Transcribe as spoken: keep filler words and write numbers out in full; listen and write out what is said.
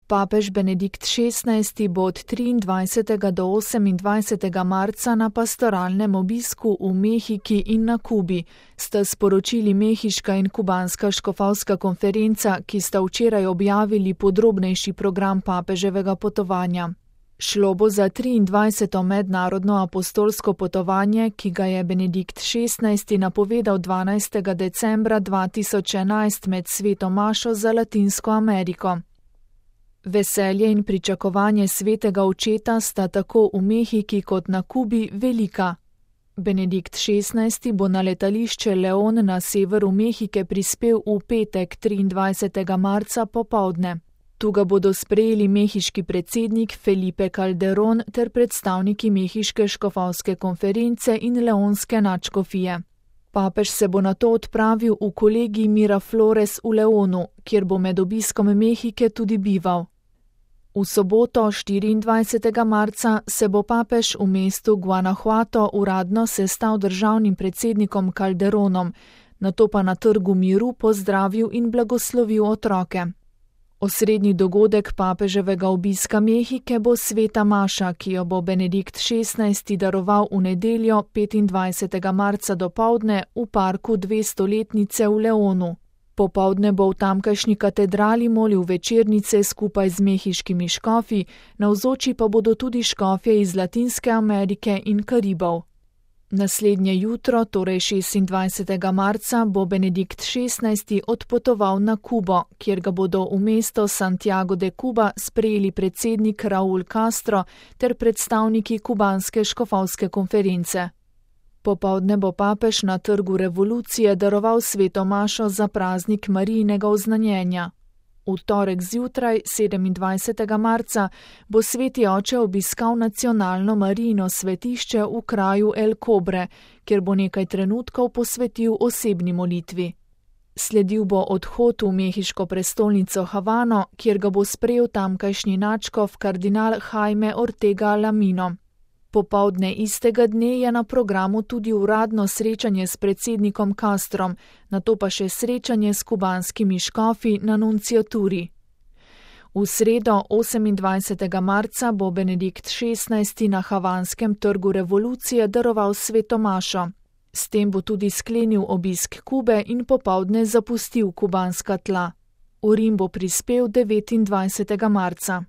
Papež Benedikt šestnajsti bo od triindvajsetega do osemindvajsetega marca na pastoralnem obisku v Mehiki in na Kubi, sta sporočili mehiška in kubanska škofovska konferenca, ki sta včeraj objavili podrobnejši program papeževega potovanja. Šlo bo za triindvajseto mednarodno apostolsko potovanje, ki ga je Benedikt šestnajsti napovedal dvanajstega decembra dva tisoč enajst med sveto mašo za Latinsko Ameriko. Veselje in pričakovanje svetega očeta sta tako v Mehiki kot na Kubi velika. Benedikt šestnajsti bo na letališče León na severu Mehike prispel v petek triindvajsetega marca popoldne. Tu ga bodo sprejeli mehiški predsednik Felipe Calderón ter predstavniki mehiške škofovske konference in leonske nadškofije. Papež se bo nato odpravil v kolegij Miraflores v Leonu, kjer bo med obiskom Mehike tudi bival. V soboto, štiriindvajsetega marca, se bo papež v mestu Guanajuato uradno sestal državnim predsednikom Calderonom, nato pa na Trgu miru pozdravil in blagoslovil otroke. Osrednji dogodek papeževega obiska Mehike bo sveta maša, ki jo bo Benedikt šestnajsti daroval v nedeljo petindvajsetega marca dopoldne v parku dvestoletnice v Leonu. Popoldne bo v tamkajšnji katedrali molil večernice skupaj z mehiškimi škofi, navzoči pa bodo tudi škofje iz Latinske Amerike in Karibov. Naslednje jutro, torej šestindvajsetega marca, bo Benedikt šestnajsti odpotoval na Kubo, kjer ga bodo v mesto Santiago de Cuba sprejeli predsednik Raúl Castro ter predstavniki kubanske škofovske konference. Popoldne bo papež na Trgu revolucije daroval sveto mašo za praznik Marijinega oznanjenja. V torek zjutraj, sedemindvajsetega marca, bo sveti oče obiskal nacionalno Marijino svetišče v kraju El Cobre, kjer bo nekaj trenutkov posvetil osebni molitvi. Sledil bo odhod v mehiško prestolnico Havano, kjer ga bo sprejel tamkajšnji nadškof kardinal Jaime Ortega Lamino. Popoldne istega dne je na programu tudi uradno srečanje s predsednikom Castrom, nato pa še srečanje s kubanskimi škofi na nunciaturi. V sredo, osemindvajsetega marca, bo Benedikt šestnajsti na havanskem Trgu revolucije daroval sveto mašo. S tem bo tudi sklenil obisk Kube in popoldne zapustil kubanska tla. V Rim bo prispel devetindvajsetega marca.